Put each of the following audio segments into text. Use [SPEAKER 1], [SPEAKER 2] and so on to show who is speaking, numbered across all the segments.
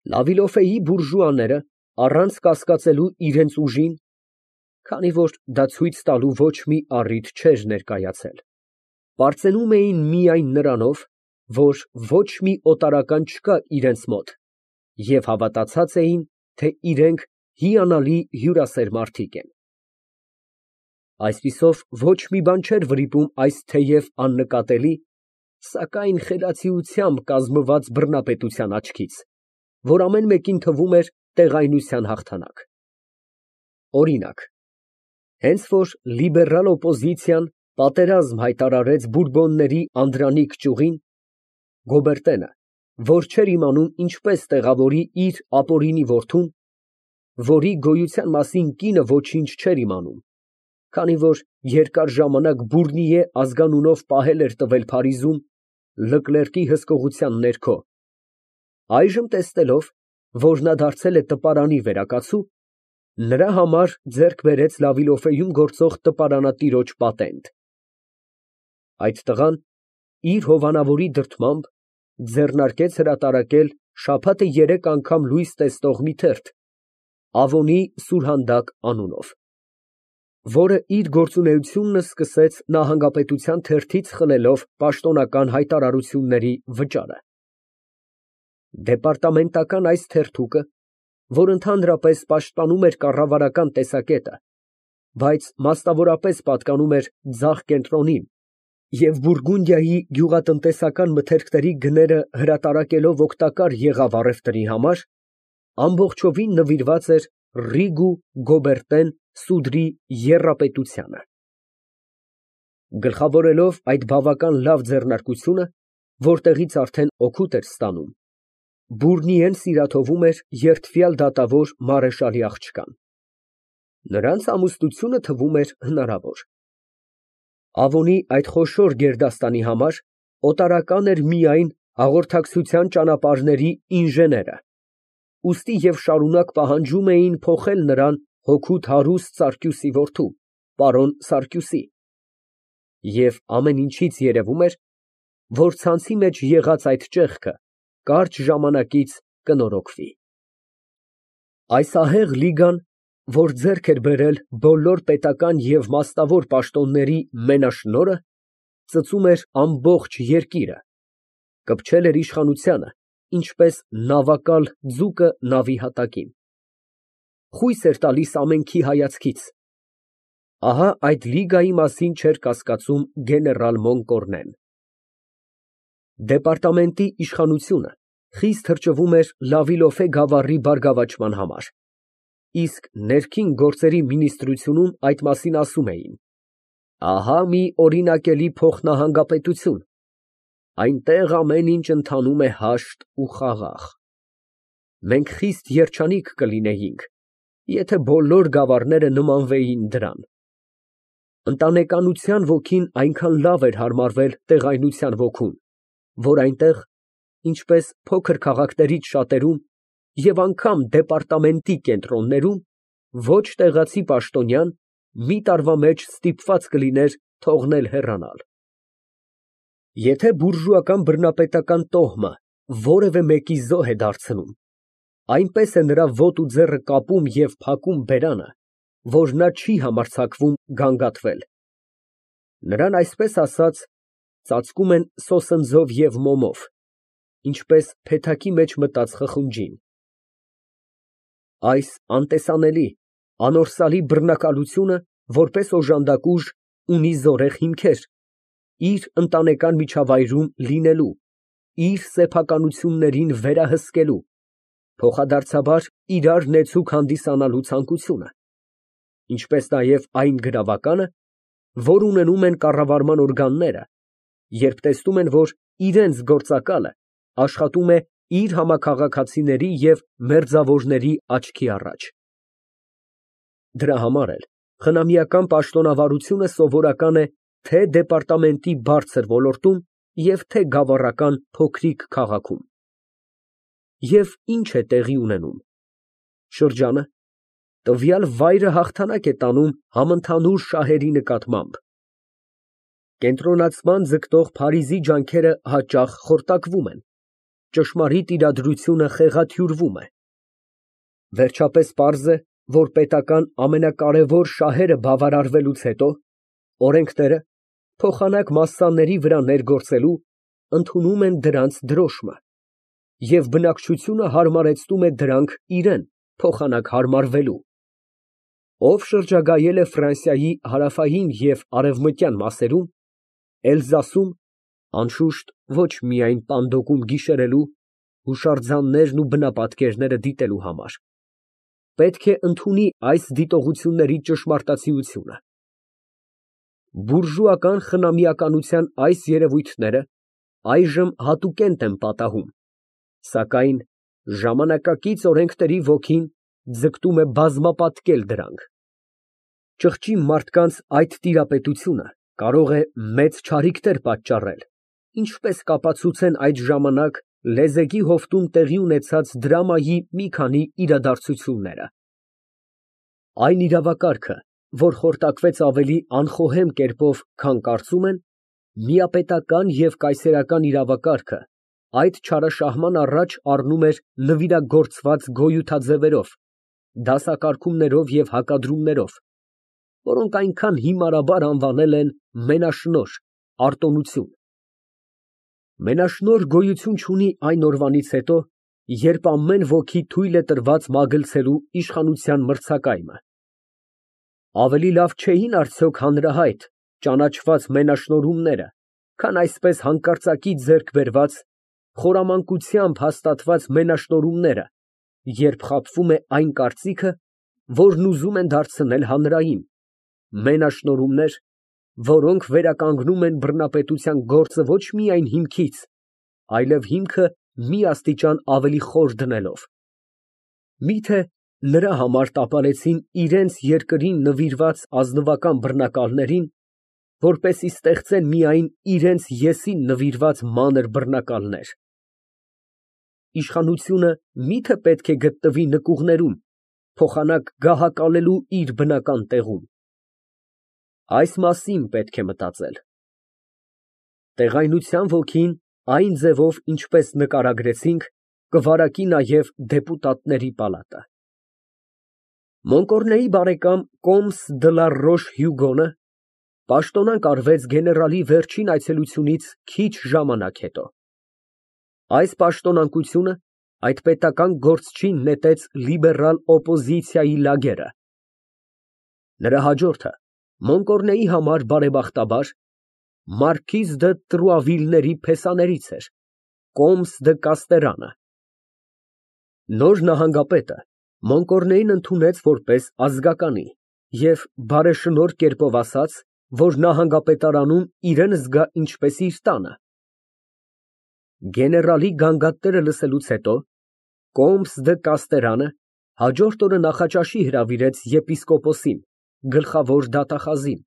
[SPEAKER 1] Լավիլոֆեի բուրժուաները, առանց կասկածելու իրենց ուժին, քանի որ դա ցույց տալու ոչ մի առիթ չէր ներկայացել, պարծենում էին միայն նրանով, որ ոչ մի օտարական չկա իրենց մոտ, և հավատացած էին, թե իրենք հիանալի հյուրասեր մարդիկ են։ Այսպիսով ոչ մի բան չէր վրիպում այս թեև աննկատելի, սակայն խելացիությամբ կազմված բռնապետության աչքից, որ ամեն մեկին թվում էր տեղայնության հաղթանակ։ Օրինակ, հենց որ լիբերալ օպոզիցիան պատերազմ հայտարարեց բուրբոնների անդրանիկ ճյուղին, Գոբերտենը, որ չէր իմանում ինչպես տեղավորի իր ապօրինի որդուն, որի գոյության մասին կինը ոչինչ չէր իմանում, քանի որ երկար ժամանակ Բուրնիե ազգանունով պահել էր տվել Փարիզում, Լկլերկի հսկողության ներքո, այժմ տեսնելով, որ նա դարձել է տպարանի վերակացու, նրա համար ձեռք բերեց Լավիլոֆեում գործող տպարանատիրոջ պատենտ։ Այդ տղան իր հովանավորի դրդմամբ ձեռնարկեց հրատարակել շաբաթը 3 անգամ լույս տեսնող մի թերթ Ավոնի սուրհանդակ անունով, որը իր գործունեությունն սկսեց նահանգապետության թերթից խլելով պաշտոնական հայտարարությունների վճարը։ Դեպարտամենտական այս թերթուկը, որ ընդհանրապես պաշտպանում էր կառավարական տեսակետը, բայց մասնավորապես պատկանում էր ձախ կենտրոնին և Բուրգունդիայի գյուղատնտեսական մթերքների գները հրատարակելով օգտակար եղավ առևտրի համար, ամբողջովին նվիրված էր Ռիգու Գոբերտեն սուդրի եռապետությանը։ Գլխավորելով այդ բավական լավ ձեռնարկությունը, որտեղից արդեն օգուտ էր ստանում, Բուրնիեն սիրաթովում էր երդվյալ դատավոր մարեշալի աղջկան։ Նրանց ամուսնությունը թվում էր հնարավոր։ Ավոնի այդ խոշոր գերդաստանի համար օտարական էր միայն հաղորդակցության ճանապարհների ինժեները, ուստի և շարունակ պահանջում էին փոխել նրան հոգուտ հարուստ Սարգյուսի որդու, պարոն Սարգյուսի, և ամեն ինչից երևում էր, որ ցանցի մեջ եղած այդ ճեղքը կարճ ժամանակից կնորոգվի։ Այս ահեղ լիգան, որ ձեռք էր բերել բոլոր պետական և մասնավոր պաշտոնների մենաշնորհը, ծծում էր ամբողջ երկիրը, կպչել էր իշխանությանը, ինչպես նավակալ ձուկը նավի հատակին, խույս էր տալիս ամենքի հայացքից։ Ահա այդ լիգայի մասին չէր կասկածում գեներալ Մոնկորնեն։ Դեպարտամենտի իշխանությունը խիստ թրջվում էր Լավիլոֆե գավառի բարգավաճման համար, իսկ ներքին գործերի մինիստրությունում այդ մասին ասում էին. ահա մի օրինակելի փոխնահանգապետություն, այնտեղ ամեն ինչ ընթանում է հաշտ ու խաղաղ։ Մենք խիստ երջանիկ կլինեինք, եթե բոլոր գավառները նմանվեին դրան։ Ընտանեկանության ոգին այնքան լավ էր հարմարվել տեղայնության ոգուն, որ այնտեղ, ինչպես փոքր քաղաքներից շատերում և անգամ դեպարտամենտի կենտրոններում, ոչ տեղացի պաշտոնյան մի տարվա մեջ ստիպված կլիներ թողնել հեռանալ։ Եթե բուրժուական բռնապետական տոհմը որևէ մեկի զոհ է դարձնում, այնպես է նրա ոտը ու ձեռքը կապում և փակում բերանը, որ նա չի համարձակվում գանգատվել։ Նրան, այսպես ասած, ծածկում են սոսնձով և մոմով, ինչպես փեթակի մեջ մտած խխունջին։ Այս անտեսանելի, անորսալի բռնակալությունը, որպես օժանդակ ուժ, ունի զորեղ հիմքեր իր ընտանեկան միջավայրում լինելու, իր սեփականություններին վերահսկելու, փոխադարձաբար իրար նեցուկ հանդիսանալու ցանկությունը, ինչպես նաև այն գրավականը, որ ունենում են կառավարման օրգանները, երբ տեսնում են, որ իրենց գործակալը աշխատում է իր համաքաղաքացիների և մերձավորների աչքի առաջ։ Դրա համար էլ խնամիական պաշտոնավարությունը սովորական է թե դեպարտամենտի բարձր ոլորտում և թե գավառական փոքրիկ քաղաքում։ Եվ ի՞նչ է տեղի ունենում։ Շրջանը, տվյալ վայրը հաղթանակ է տանում համընդհանուր շահերի նկատմամբ։ Կենտրոնացման ձգտող Փարիզի ջանքերը հաճախ խորտակվում են, ճշմարիտ իրադրությունը խեղաթյուրվում է։ Վերջապես պարզ է, որ պետական ամենակարևոր շահերը բավարարվելուց հետո օրենքները, փոխանակ մասսաների վրա ներգործելու, ընդունում են դրանց դրոշմը, և բնակչությունը հարմարեցնում է դրանք իրան փոխանակ հարմարվելու։ Ով շրջագայել է Ֆրանսիայի հարավային և արևմտյան մասերում, Էլզասում, անշուշտ ոչ միայն պանդոկում գիշերելու, հուշարձաններն ու բնապատկերները դիտելու համար, պետք է ընդունի այս դիտողությունների ճշմարտացիությունը։ Բուրժուական խնամիականության այս երևույթները այժմ հատուկենտ են պատահում, սակայն ժամանակակից օրենքների ոգին ձգտում է բազմապատկել դրանք։ Ճղճի մարդկանց այդ տիրապետությունը կարող է մեծ չարիքներ պատճառել, ինչպես կապացուցեն այդ ժամանակ լեզեգի հովտում տեղի ունեցած դրամայի մի քանի իրադարձությունները։ Այն իրավակարգը, որ խորտակվեց ավելի անխոհեմ կերպով, քան կարծում են, միապետական և կայսերական իրավակարգը, այդ չարաշահման առաջ առնում էր նվիրագործված գոյութաձևերով, դասակարգումներով և հակադրումներով, որոնք այնքան հիմարաբար անվանել են մենաշնորհ, արտոնություն։ Մենաշնորհ գոյություն չունի այն օրվանից հետո, երբ ամեն ոքի թույլ է տրված մագլցելու իշխանության մրցակայմը։ Ավելի լավ չէին արդյոք հանրահայտ, ճանաչված մենաշնորհումները, քան այսպես հանկարծակի ձեռք բերված, խորամանկությամբ հաստատված մենաշնորհումները, երբ խաբվում է այն կարծիքը, որն ուզում են դարձնել հանրային, մենաշնորհումներ, որոնք վերականգնում են բռնապետության գործը ոչ միայն հիմքից, այլև հիմքը մի աստիճան ավելի խոր դնելով։ Միթե նրա համար տապալեցին իրենց երկրին նվիրված ազնվական բռնակալներին, որպեսզի ստեղծեն միայն իրենց եսին նվիրված մանր բռնակալներ։ Իշխանությունը միթե պետք է գտնվի նկուղներում, փոխանակ գահակալելու իր բնական տեղում։ Այս մասին պետք է մտածել։ Տեղայնության ոգին այն ձևով, ինչպես նկարագրեցինք, կվարակի նաև դեպուտատների պալատը։ Մոնկորնեի բարեկամ կոմս դը լա Ռոշ֊Հյուգոնը պաշտոնանկ արվեց գեներալի վերջին այցելությունից քիչ ժամանակ հետո։ Այս պաշտոնանկությունը այդ պետական գործչին նետեց լիբերալ օպոզիցիայի լագերը։ Նրա հաջորդը Մոնկորնեի համար բարեբախտաբար մարքիզ դը Տրուավիլների փեսաներից էր, կոմս դը Կաստերանը։ Նոր նահանգապետը Մոնկորնեին ընդունեց որպես ազգականի և բարեշնորհ կերպով ասաց, որ նահանգապետարանում իրան զգա ինչպես իր տանը։ Գեներալի գանգատները լսելուց հետո կոմս դը Կաստերանը հաջորդ օրը նախաճաշի հրավիրեց եպիսկոպոսին, գլխավոր դատախազին,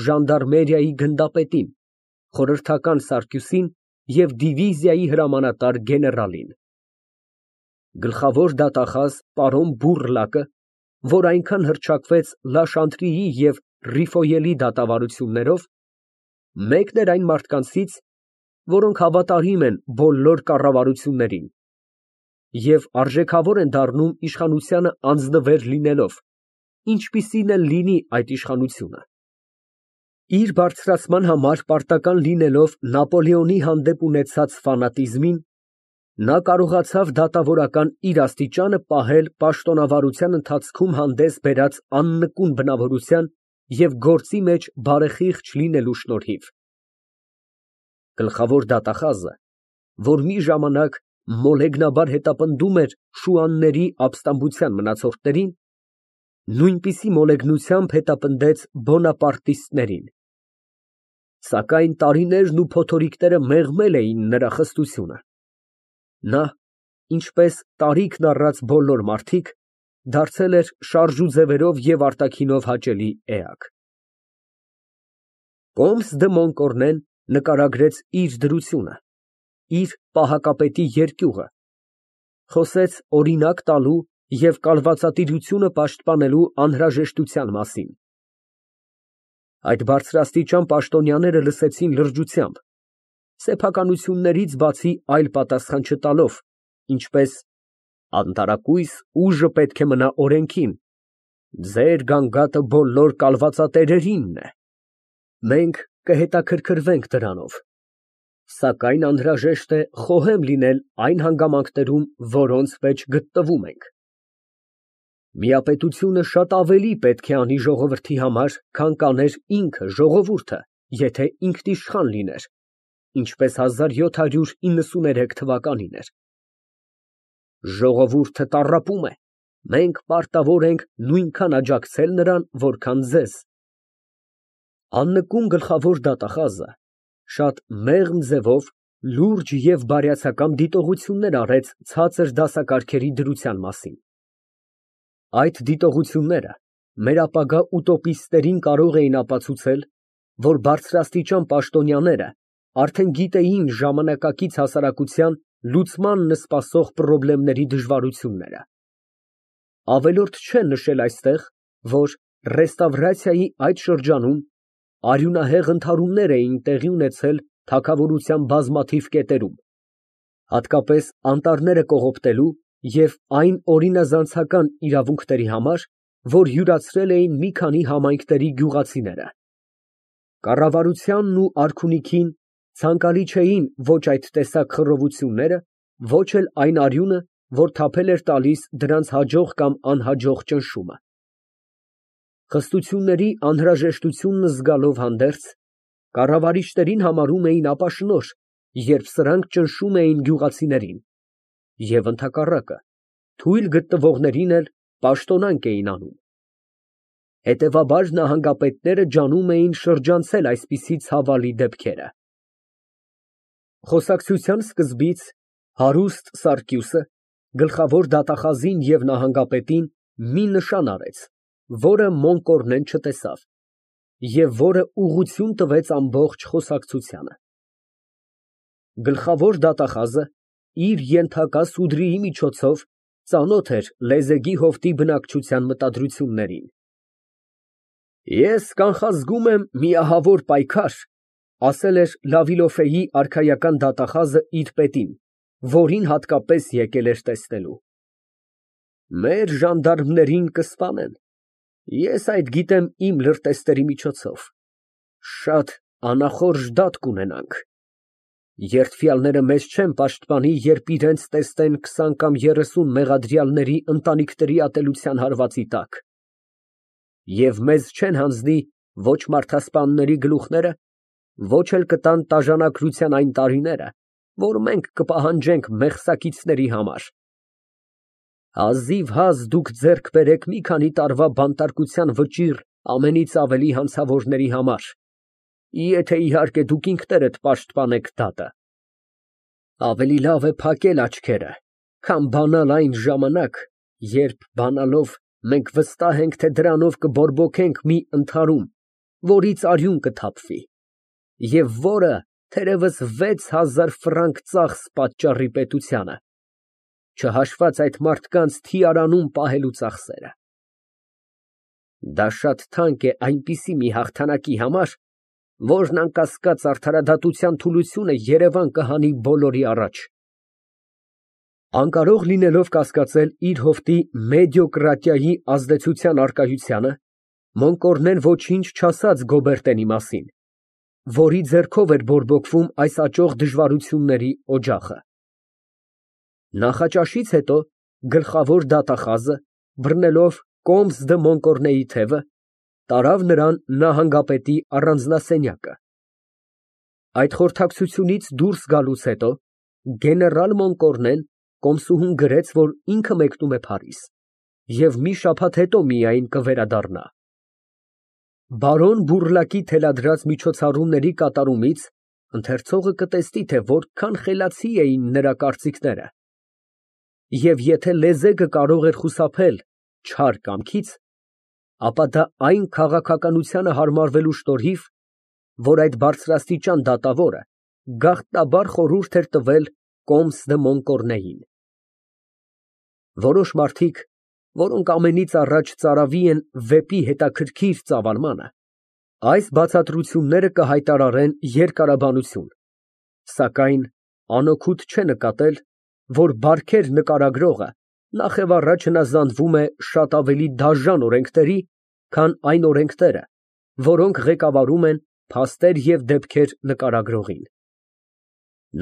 [SPEAKER 1] ժանդարմերիայի գնդապետին, խորհրդական սարկյուսին և դիվիզիայի հրամանատար գեներալին։ Գլխավոր դատախազ պարոն Բուռլակը, որ այնքան հռչակվեց Լա Շանտրիի և Ռիֆոյելի դատավարություններով, մեկն էր այն մարդկանցից, որոնք հավատարիմ են բոլոր կառավարություններին և արժեքավոր են դառնում իշխանությանը անձնվեր լինելով, ինչպիսին էլ լինի այդ իշխանությունը։ Իր բարձրացման համար պարտական լինելով Նապոլեոնի հանդեպ ունեցած ֆանատիզմին, նա կարողացավ դատավորական իր աստիճանը պահել պաշտոնավարության ընթացքում հանդես բերած աննկուն բնավորության և գործի մեջ բարեխիղճ լինելու շնորհիվ։ Գլխավոր դատախազը, որ մի ժամանակ մոլեգնաբար հետապնդում էր շուանների ապստամբության մնացորդներին, նույնպիսի մոլեգնությամբ հետապնդեց բոնապարտիստներին։ Սակայն տարիներն ու փոթորիկները մեղմել էին նրա խստությունը։ Նա, ինչպես տարիքն առած բոլոր մարդիկ, դարձել էր շարժուձևերով և արտաքինով հաճելի էակ։ Կոմս դը Մոնկորնեն նկարագրեց իր դրությունը, իր պահակապետի երկյուղը, խոսեց օրինակ տալու և կալվածատիրությունը պաշտպանելու անհրաժեշտության մասին։ Այդ բարձրաստիճան պաշտոնյաները լսեցին լրջությամբ, սեփականություններից բացի այլ պատասխան չտալով, ինչպես անտարակույս ուժը պետք է մնա օրենքին, ձեր գանգատը բոլոր կալվածատերերինն է, մենք կհետաքրքրվենք դրանով, սակայն անհրաժեշտ է խոհեմ լինել այն հանգամանքներում, որոնց մեջ գտնվում ենք։ Միապետությունը շատ ավելի պետք է անի ժողովրդի համար, քան կաներ ինքը ժողովուրդը, եթե ինքնիշխան լիներ, ինչպես 1793 թվականին էր։ Ժողովուրդը տառապում է, մենք պարտավոր ենք նույնքան աջակցել նրան, որքան ձեզ։ Աննկուն գլխավոր դատախազը շատ մեղմ ձևով լուրջ և բարյացակամ դիտողություններ արեց ցածր դասակարգերի դրության մասին։ Այդ դիտողությունները մեր ապագա ուտոպիստներին կարող էին ապացուցել, որ բարձրաստիճան պաշտոնյաները արդեն գիտեին ժամանակակից հասարակության լուծմանն սպասող պրոբլեմների դժվարությունները։ Ավելորդ չէ նշել այստեղ, որ ռեստավրացիայի այդ շրջանում արյունահեղ ընդհարումներ էին տեղի ունեցել թագավորության բազմաթիվ կետերում, հատկապես անտառները կողոպտելու և այն օրինազանցական իրավունքների համար, որ յուրացրել էին մի քանի համայնքների գյուղացիները։ Կառավարությանն ու արքունիքին ցանկալի չէին ոչ այդ տեսակ խռովությունները, ոչ էլ այն արյունը, որ թափել էր տալիս դրանց հաջող կամ անհաջող ճնշումը։ Խստությունների անհրաժեշտությունն զգալով հանդերձ, կառավարիչներին համարում էին ապաշնորհ, երբ սրանք ճնշում էին գյուղացիներին, և ընդհակառակը, թույլ գտնվողներին էլ պաշտոնանկ էին անում։ Հետևաբար նահանգապետները ջանում էին շրջանցել այսպիսի ցավալի դեպքերը։ Խոսակցության սկզբից հարուստ Սարգիսը գլխավոր դատախազին և նահանգապետին մի նշան արեց, որը Մոնկորնեն չտեսավ, և որը ուղղություն տվեց ամբողջ խոսակցությանը։ Գլխավոր դատախազը իր ենթակա սուդրիի միջոցով ծանոթ էր լեզեգի հովտի բնակչության մտադրություններին։ Ես կանխազգում եմ մի ահավոր պայքար, ասել էր Լավիլոֆեի արքայական դատախազը իր պետին, որին հատկապես եկել էր տեսնելու։ Մեր ժանդարմներին կսպանեն, ես այդ գիտեմ իմ լրտեսների միջոցով, շատ անախորժ դատ կունենանք։ Երդվյալները մեզ չեն պաշտպանի, երբ իրենց տեսնեն 20 կամ 30 մեղադրյալների ընտանիքների ատելության հարվածի տակ, և մեզ չեն հանձնի ոչ մարդասպանների գլուխները, ոչ էլ կտան տաժանակրության այն տարիները, որ մենք կպահանջենք մեղսակիցների համար։ Հազիվհազ դուք ձեռք բերեք մի քանի տարվա բանտարկության վճիռ ամենից ավելի հանցավորների համար, եթե իհարկե դուք ինքներդ պաշտպանեք դատը։ Ավելի լավ է փակել աչքերը, քան բանալ այն ժամանակ, երբ բանալով մենք վստահ ենք, թե դրանով կբորբոքենք մի ընդհարում, որից արյուն կթափվի, և որը թերևս 6000 ֆրանկ ծախս պատճառի պետությանը, չհաշված այդ մարդկանց թիարանում պահելու ծախսերը։ Դա շատ թանկ է այնպիսի մի հաղթանակի համար, որն անկասկած արդարադատության թուլությունը երևան կհանի բոլորի առաջ։ Անկարող լինելով կասկածել իր հովտի մեդիոկրատիայի ազդեցության առկայությանը, Մոնկորնեն ոչինչ չասաց Գոբերտենի մասին, որի ձեռքով էր բորբոքվում այս աճող դժվարությունների օջախը։ Նախաճաշից հետո գլխավոր դատախազը, բռնելով Կոմս դը Մոնկորնեի թևը, տարավ նրան նահանգապետի առանձնասենյակը։ Այդ խորհրդակցությունից դուրս գալուց հետո գեներալ Մոնկորնեն կոմսուհուն գրեց, որ ինքը մեկնում է Փարիզ և մի շաբաթ հետո միայն կվերադառնա։ Բարոն Բուռլակի թելադրած միջոցառումների կատարումից ընթերցողը կտեսնի, թե որքան խելացի էին նրա կարծիքները, և եթե լեզեգը կարող էր խուսափել չար կամքից, ապա դա այն քաղաքականությանը հարմարվելու շնորհիվ, որ այդ բարձրաստիճան դատավորը գաղտնաբար խորհուրդ էր տվել Կոմս դը Մոնկորնեին։ Որոշ մարդիկ, որոնք ամենից առաջ ծարավի են վեպի հետաքրքիր ծավալմանը, այս բացատրությունները կհայտարարեն երկարաբանություն, Սակայն անօգուտ չէ նկատել, որ բարքեր նկարագրողը նախևառաջ հնազանդվում է շատ ավելի դաժան օրենքների, քան այն օրենքները, որոնք ղեկավարում են փաստեր և դեպքեր նկարագրողին։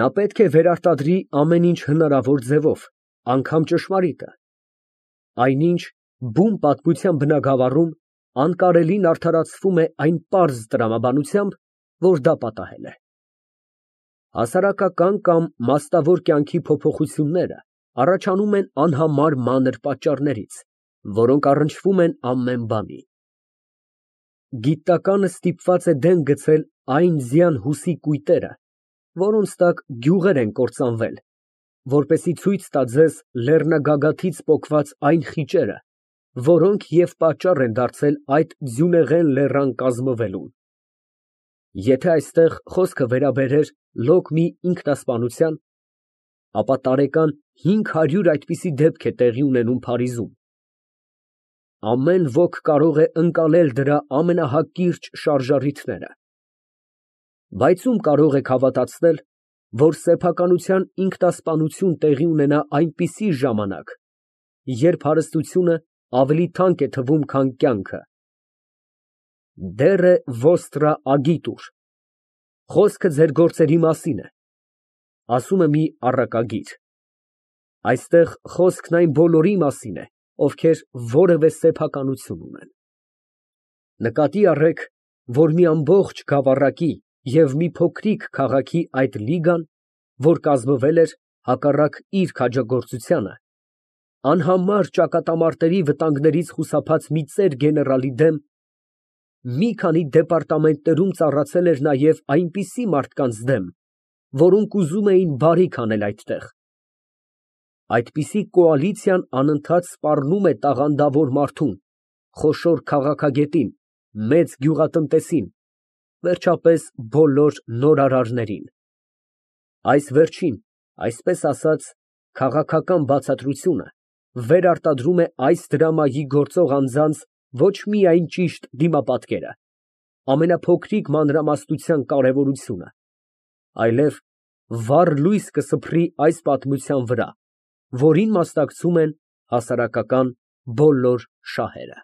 [SPEAKER 1] Նա պետք է վերարտադրի ամեն ինչ հնարավոր ձևով, անգամ ճշմարիտը։ Այնինչ բուն պատմության բնագավառում անկարելին արդարացվում է այն պարզ տրամաբանությամբ, որ դա պատահել է։ Հասարակական կամ մասնավոր կյանքի փոփոխությունները առաջանում են անհամար մանր պատճառներից, որոնք առնչվում են ամեն բանի։ Գիտականը ստիպված է դեն գցել այն ձյան հուսի կույտերը, որոնց տակ գյուղեր են կործանվել, որպեսզի ցույց տա ձեզ լեռնագագաթից պոկված այն խիճերը, որոնք և պատճառ են դարձել այդ ձյունեղեն լեռան կազմվելուն։ Եթե այստեղ խոսքը վերաբերեր լոկ մի ինքնասպանության, ապա տարեկան 500 այդպիսի դեպք է տեղի ունենում Փարիզում։ Ամեն ոք կարող է ընկալել դրա ամենահակիրճ շարժառիթները։ Բայց ում կարող եք հավատացնել, որ սեփականության ինքնասպանություն տեղի ունենա այնպիսի ժամանակ, երբ հարստությունը ավելի թանկ է թվում, քան կյանքը։ Դերը ոստրա ագիտուր, խոսքը ձեր գործերի մասին է, ասում է մի առակագիր։ Այստեղ խոսքն այն բոլորի մասին է, ովքեր որևէ սեփականություն ունեն։ Նկատի առեք, որ մի ամբողջ գավառակի և մի փոքրիկ քաղաքի այդ լիգան, որ կազմվել էր հակառակ իր քաջագործությանը, անհամար ճակատամարտերի վտանգներից խուսափած մի ծեր գեներալի դեմ, մի քանի դեպարտամենտներում ծառացել էր նաև այնպիսի մարդկանց դեմ, որոնք ուզում էին բարիք անել այդտեղ։ Այդպիսի կոալիցիան անընդհատ սպառնում է տաղանդավոր մարդուն, խոշոր քաղաքագետին, մեծ գյուղատնտեսին, վերջապես բոլոր նորարարներին։ Այս վերջին, այսպես ասած, քաղաքական բացատրությունը վերարտադրում է այս դրամայի գործող անձանց ոչ միայն ճիշտ դիմապատկերը, ամենափոքրիկ մանրամասնության կարևորությունը, այլև վառ լույս կսփռի այս պատմության վրա, որին մասնակցում են հասարակական բոլոր շահերը։